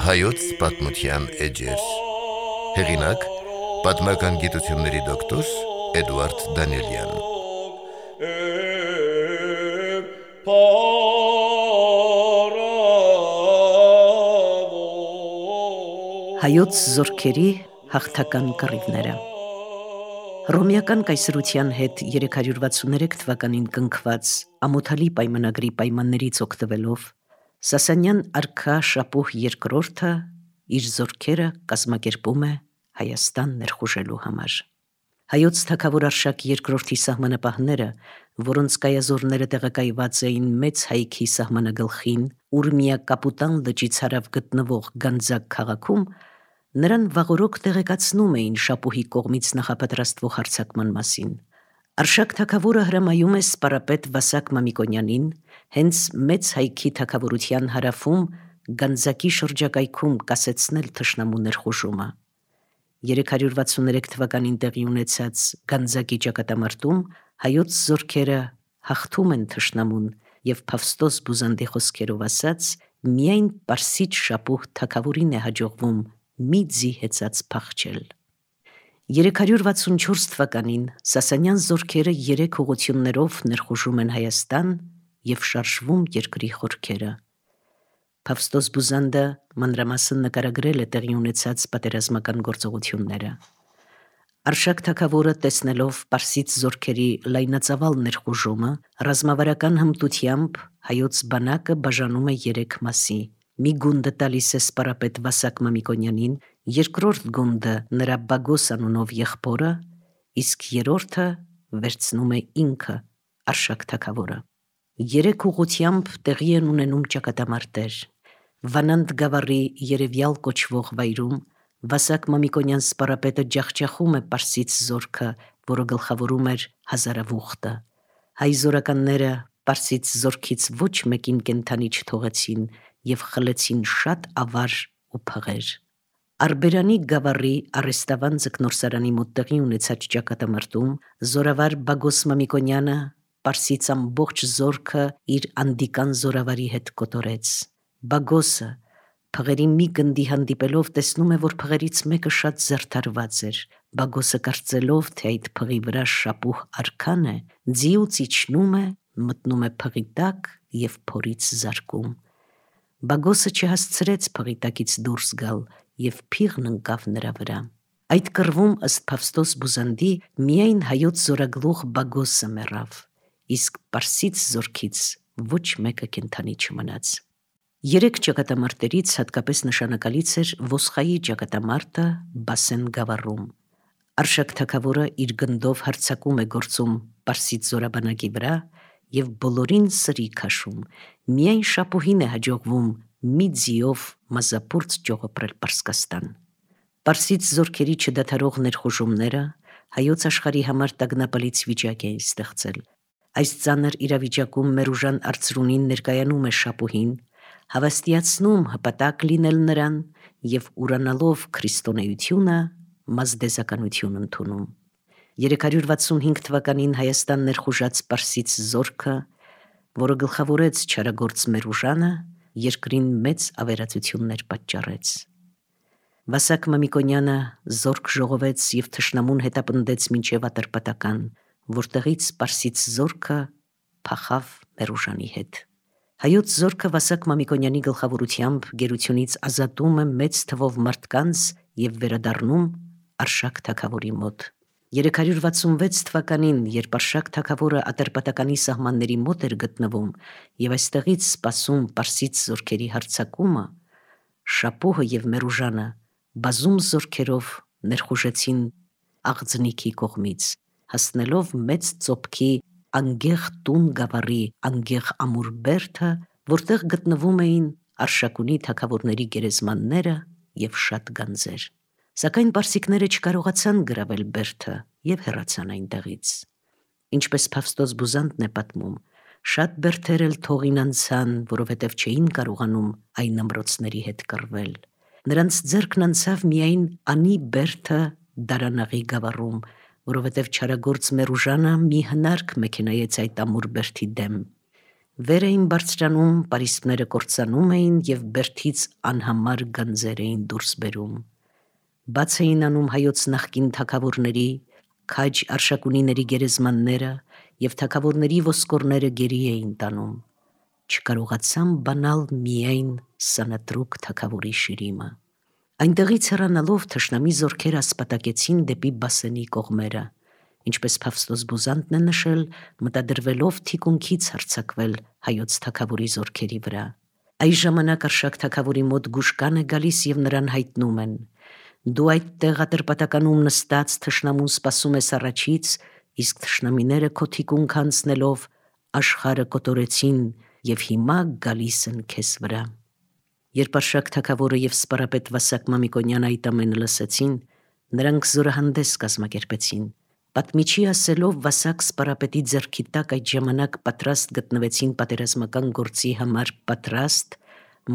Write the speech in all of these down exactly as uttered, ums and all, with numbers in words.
Հայոց պատմության էջեր։ Հեղինակ՝ պատմական գիտությունների դոկտոր Էդուարդ Դանիելյան։ Հայոց զորքերի հաղթական կռիվները։ Հռոմեական կայսրության հետ երեք հարյուր վաթսուններեք թվականին կնքված ամոթալի պայմանագրի պայմաններից օգտվելով Սասանյան արքա Շապուհ երկրորդը իր զորքերը կազմակերպում է Հայաստան ներխուժելու համար։ Հայոց թագավոր Արշակ երկրորդի սահմանապահները, որոնց կայազորները տեղակայված էին մեծ հայքի սահմանագլխին Ուրմիա Կապուտան լճից հարավ գտնվող Գանձակ քաղաքում, նրան վաղօրոք տեղեկացնում էին Շապուհի կողմից նախապատրաստվող հարձակման մասին։ Արշակ թագավորը հրամայում է սպարապետ Վասակ Մամիկոնյանին հենց մեծ հայքի թագավորության հարավում Գանձակի շրջակայքում կասեցնել թշնամու ներխուժումը։ երեք հարյուր վաթսուններեք թվականին տեղի ունեցած Գանձակի ճակատամարտում հայոց զորքերը հաղթում են թշնամուն և Փավստոս Բուզանդի խոսքերով ասած, միայն Պարսից Շապուհ թագավորին է հաջողվում մի ձի հեծած փախչել։ երեք հարյուր վաթսունչորս թվականին Սասանյան զորքերը երեք ուղղություններով ներխուժում են Հայաստան և շարժվում երկրի խորքերը։ Փավստոս Բուզանդը մանրամասն նկարագրել է տեղի ունեցած պատերազմական գործողությունները։ Արշակ թագավորը, տեսնելով Պարսից զորքերի լայնածավալ ներխուժումը, ռազմավարական հմտությամբ հայոց բանակը բաժանում է երեք մասի։ Մի գունդը տալիս է սպարապետ Վասակ Մամիկոնյանին, երկրորդ գունդը նրա Բագոս անունով եղբորը, իսկ երրորդը վերցնում է ինքը Արշակ թագավորը։ Երեք ուղղությամբ տեղի են ունենում ճակատամարտեր։ Վանանդ գավառի Երևյալ կոչվող վայրում Վասակ Մամիկոնյան սպարապետը ջախջախում է Պարսից զորքը, որը գլխավորում էր Հազարավուխտը։ Հայ զորականները Պարսից զորքից ոչ մեկին կենդանի չթողեցին և խլեցին շատ ավար ու փղեր։ Արբերանի գավառի Առեստավան ձկնորսարանի մոտ տեղի ունեցած ճակատամարտում զորավար Բագոս Մամիկոնյանը Պարսից ամբողջ զորքը իր անդիկան զորավարի հետ կոտորեց։ Բագոսը փղերի մի գնդի հանդիպելով տեսնում է, որ փղերից մեկը շատ զարդարված էր։ Բագոսը կարծելով, թե այդ փղի վրա Շապուհ արքան է, ձիուց իջնում է, մտնում է փղի տակ և փորից զարկում։ Բագոսը չհասցրեց փղի տակից դուրս գալ և փիղն ընկավ նրա վրա։ Այդ կռվում, ըստ Փավստոս Բուզանդի, միայն հայոց զորագլուխ Բագոսը մեռավ, իսկ Պարսից զորքից ոչ մեկը կենդանի չմնաց։ Երեք ճակատամարտերից հատկապես նշանակալից էր Ոսխայի ճակատամարտը Բասեն գավառում։ Արշակ թագավորը իր գնդով հարձակում է գործում Պարսից զորաբանակի վրա և բոլորին սրի քաշում։ Միայն Շապուհին է հաջողվում մի ձիով մազապուրծ ճողոպրել Պարսկաստան։ Պարսից զորքերի չդադարող ներխուժումները հայոց աշխարհի համար տագնապալից վիճակ էին ստեղծել։ Այս ծանր իրավիճակում Մերուժան Արծրունին ներկայանում է Շապուհին, հավաստիացնում հպատակ լինել նրան և ուրանալով քրիստոնեությունը մազդեզականություն ընդունում։ երեք հարյուր վաթսունհինգ թվականին Հայաստան ներխուժած Պարսից զորքը, որը գլխավորեց չարագործ Մերուժանը, երկրին մեծ ավերածություններ պատճառեց։ Վասակ Մամիկոնյանը զորք ժողովեց և թշնամուն հետապնդեց մինչև Ատրպատական, որտեղից Պարսից զորքը փախավ Մերուժանի հետ։ Հայոց զորքը Վասակ Մամիկոնյանի գլխավորությամբ գերությունից ազատում է մեծ թվով մարդկանց և վերադառնում Արշակ թագավորի մոտ։ երեք հարյուր վաթսունվեց թվականին, երբ Արշակ թագավորը Ատրպատականի սահմանների մոտ էր գտնվում և այստեղից սպասում Պարսից զորքերի հարձակումը, Շապուհը և Մերուժանը բազում զորքերով ներխուժեցին Աղձնիքի կողմից, հասնելով մեծ ծոփքի Անգեղ տուն գավառի Անգեղ ամուր բերդը, որտեղ գտնվում էին Արշակունի թագավորների գերեզմանները և շատ գանձեր։ Սակայն պարսիկները չկարողացան գրավել բերդը և հեռացան այնտեղից։ Ինչպես Փավստոս Բուզանդն է պատմում, շատ բերդեր էլ թողին անցան, որովհետև չէին կարողանում այն ամրոցների հետ կռվել։ Նրանց ձեռքն անցավ միայն Անի բերդը Դարանաղի գավառում, որովհետև չարագործ Մերուժանը մի հնարք մեքենայեց այդ ամուր բերդի դեմ։ Վեր էին բարձրանում, պարիսպները կործանում էին և բերդից անհամար գանձեր էին դուրս բերում։ Բաց էին անում հայոց նախկին թագավորների, քաջ արշակունիների գերեզմանները և թագավորների ոսկորները գերի էին տանում։ Չկարողացան բանալ միայն Սանատրուկ թագավորի շիրիմը։ Այնտեղից հեռանալով թշնամի զորքերը ասպատակեցին դեպի Բասենի կողմերը, ինչպես Փավստոս Բուզանդն է նշել, մտադրվելով թիկունքից հարձակվել հայոց թագավորի զորքերի վրա։ Այս ժամանակ Արշակ թագավորի մոտ գուշկան է գալիս և նրան հայտնում են. «Դու այդտեղ ատրպատականում նստած թշնամուն սպասում ես առաջից, իսկ թշնամիները քո թիկունք անցնելով աշխարհը կոտորեցին և հիմա գալիս են քեզ վրա»։ Երբ Արշակ թագավորը և սպարապետ Վասակ Մամիկոնյանը այդ ամենը լսեցին, նրանք զորահանդես կազմակերպեցին։ Պատմիչի ասելով, Վասակ սպարապետի ձեռքի տակ այդ ժամանակ պատրաստ գտնվեցին պատերազմական գործի համար պատրաստ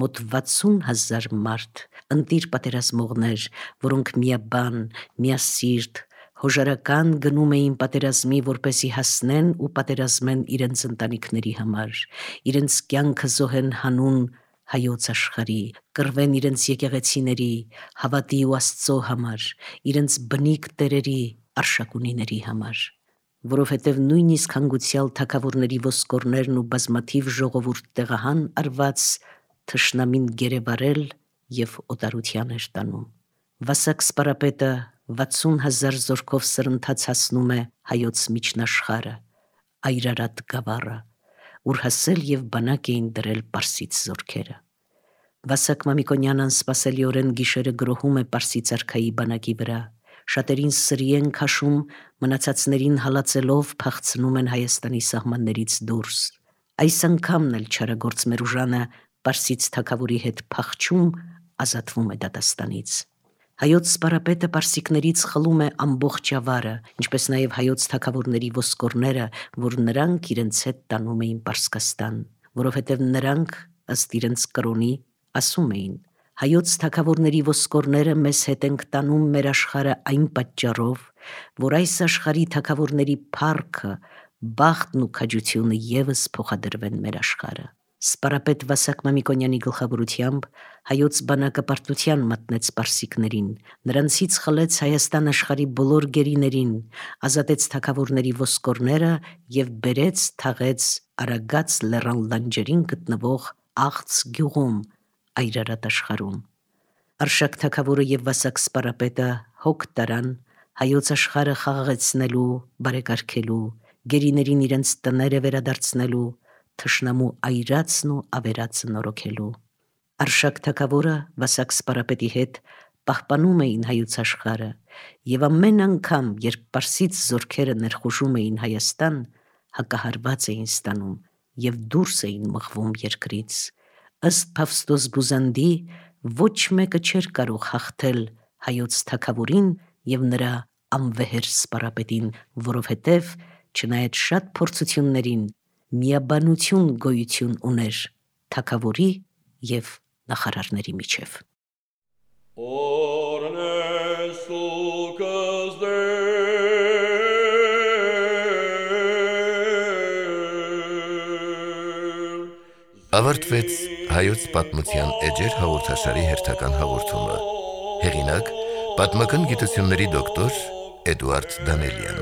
մոտ վաթսուն հազար մարդ, ընտիր պատերազմողներ, որոնք միաբան, միասիրտ, հոժարական գնում էին պատերազմի, որպեսզի հասնեն ու պատերազմեն իրենց ընտանիքների համար, իրենց կյանքը զոհեն հանուն հայոց աշխարհի, կռվեն իրենց եկեղեցիների, հավատի ու Աստծո համար, իրենց բնիկ տերերի, արշակունիների համար։ Որովհետև նույնիսկ հանգուցյալ թագավորների ոսկորներն ու բազմաթիվ ժողովուրդ տեղահան արված թշնամին գերեվարել և օտարության էր տանում։ Վասակ սպարապետը վաթսուն հազար զորքով սրընթաց հասնում է հայոց միջնաշխարհը, Այրարատ գավառը, ուր հասել և բանակ էին դրել պարսից զորքերը։ Վասակ Մամիկոնյանն անսպասելիորեն գիշերը գրոհում է պարսից արքայի բանակի վրա, շատերին սրի են քաշում, մնացածներին հալածելով փախցնում են Հայաստանի սահմաններից դուրս։ Այս անգամն էլ չարագործ Մերուժանը պարսից թագավորի հետ փախչում ազատվում է դատաստանից։ Հայոց սպարապետը պարսիկներից խլում է ամբողջ ավարը, ինչպես նաև հայոց թագավորների ոսկորները, որ նրանք իրենց հետ տանում էին Պարսկաստան, որովհետև նրանք, ըստ իրենց կրոնի, ասում էին. «Հայոց թագավորների ոսկորները մեզ հետ ենք տանում մեր աշխարհը այն պատճառով, որ այս աշխարհի թագավորների փառքը, բախտն ու քաջությունը ևս փոխադրվեն մեր աշխարհը»։ Սպարապետ Վասակ Մամիկոնյանի գլխավորությամբ հայոց բանակը պարտության մատնեց պարսիկներին, նրանցից խլեց Հայաստան աշխարհի բոլոր գերիներին, ազատեց թագավորների ոսկորները և բերեց թաղեց Արագած լեռան լանջերին գտնվող Աղց գյուղում, Այրարատ աշխարհում։ Արշակ թագավորը և Վասակ սպարապետը հոգ տարան հայոց աշխարհը խաղաղեցնելու, բարեկարգելու, գերիներին իրենց տները վերադարձնելու, թշնամու այրածն ու ավերածը նորոգելու։ Արշակ թագավորը Վասակ սպարապետի հետ պահպանում էին հայոց աշխարհը և ամեն անգամ, երբ պարսից զորքերը ներխուժում էին Հայաստան, հակահարված էին ստանում և դուրս էին մղվում երկրից։ Ըստ Փավստոս Բուզանդի, ոչ մեկը չէր կարող հաղթել հայոց թագավորին և նրա անվեհեր սպարապետին, որովհետև, չնայած շատ փորձություններին, միաբանություն գոյություն ուներ թագավորի և նախարարների միջև։ Ավարտվեց հայոց պատմության էջեր հաղորդաշարի հերթական հաղորդումը։ Հեղինակ՝ պատմական գիտությունների դոկտոր Էդուարդ Դանելյան։